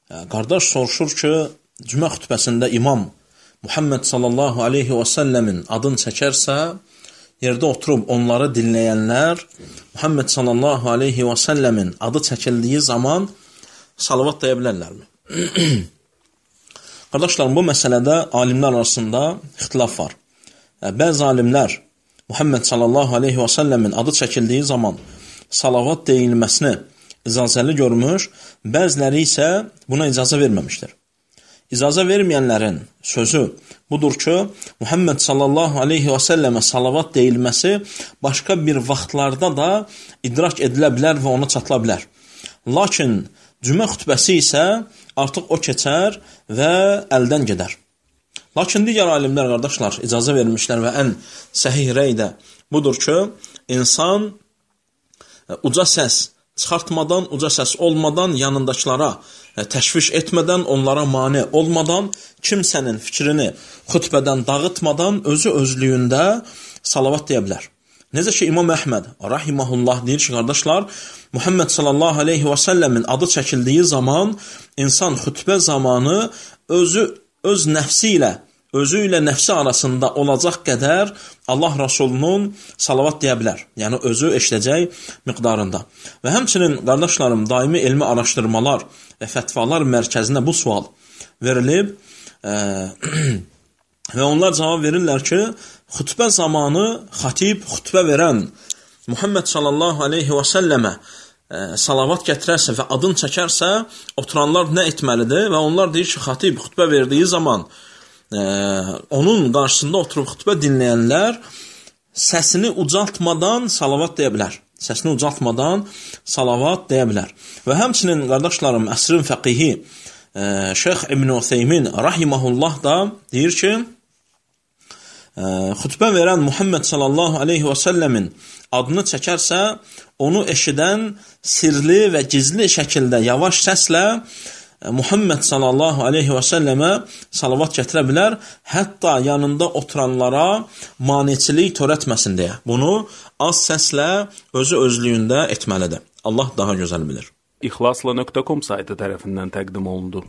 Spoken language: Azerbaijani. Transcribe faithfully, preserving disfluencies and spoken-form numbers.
Qardaş soruşur ki, cümə xütbəsində imam Muhammed sallallahu aleyhi və səlləmin adını çəkərsə, yerdə oturub onları dinləyənlər Muhammed sallallahu aleyhi və səlləmin adı çəkildiyi zaman salavat deyə bilərlərmi? Qardaşlarım, bu məsələdə alimlər arasında ixtilaf var. Bəzi alimlər Muhammed sallallahu aleyhi və səlləmin adı çəkildiyi zaman salavat deyilməsini icazəli görmüş, bəziləri isə buna icazə verməmişdir. İcazə verməyənlərin sözü budur ki, Muhammed sallallahu aleyhi və səlləmə salavat deyilməsi başqa bir vaxtlarda da idrak edilə bilər və ona çatıla bilər. Lakin cümə xütbəsi isə artıq o keçər və əldən gedər. Lakin digər alimlər, qardaşlar, icazə vermişlər və ən səhih rəy də budur ki, insan uca səs çıxartmadan, uca səs olmadan, yanındakılara təşviş etmədən, onlara mane olmadan, kimsənin fikrini xütbədən dağıtmadan özü özlüyündə salavat deyə bilər. Necə ki, İmam Əhməd rahiməhullah deyir ki, qardaşlar, Muhammed sallallahu aleyhi və səlləmin adı çəkildiyi zaman insan xütbə zamanı özü öz nəfsi ilə, özü ilə nəfsi arasında olacaq qədər Allah Rasulunun salavat deyə bilər. Yəni, özü eşidəcək miqdarında. Və həmçinin, qardaşlarım, daimi elmi araşdırmalar və fətvalar mərkəzinə bu sual verilib e, və onlar cavab verirlər ki, xütbə zamanı xatib xütbə verən Muhammed sallallahu aleyhi və səlləmə e, salavat gətirərsə və adını çəkərsə, oturanlar nə etməlidir? Və onlar deyir ki, xatib xütbə verdiyi zaman e, onun qarşısında oturub xütbə dinləyənlər səsini ucaltmadan salavat deyə bilər. Səsini ucaltmadan salavat deyə bilər. Və həmçinin, qardaşlarım, əsrin fəqihi e, Şeyx İbn Utheymin rahiməhullah da deyir ki, e, xütbə verən Muhammed sallallahu aleyhi və səlləmin adını çəkərsə, onu eşidən sirli və gizli şəkildə yavaş səslə Muhammed sallallahu aleyhi və səlləmə salavat gətirə bilər, hətta yanında oturanlara maneçilik törətməsin deyə. Bunu az səslə özü özlüyündə etməlidir. Allah daha gözəl bilir. İxlasla nöqtə com saytı tərəfindən təqdim olundu.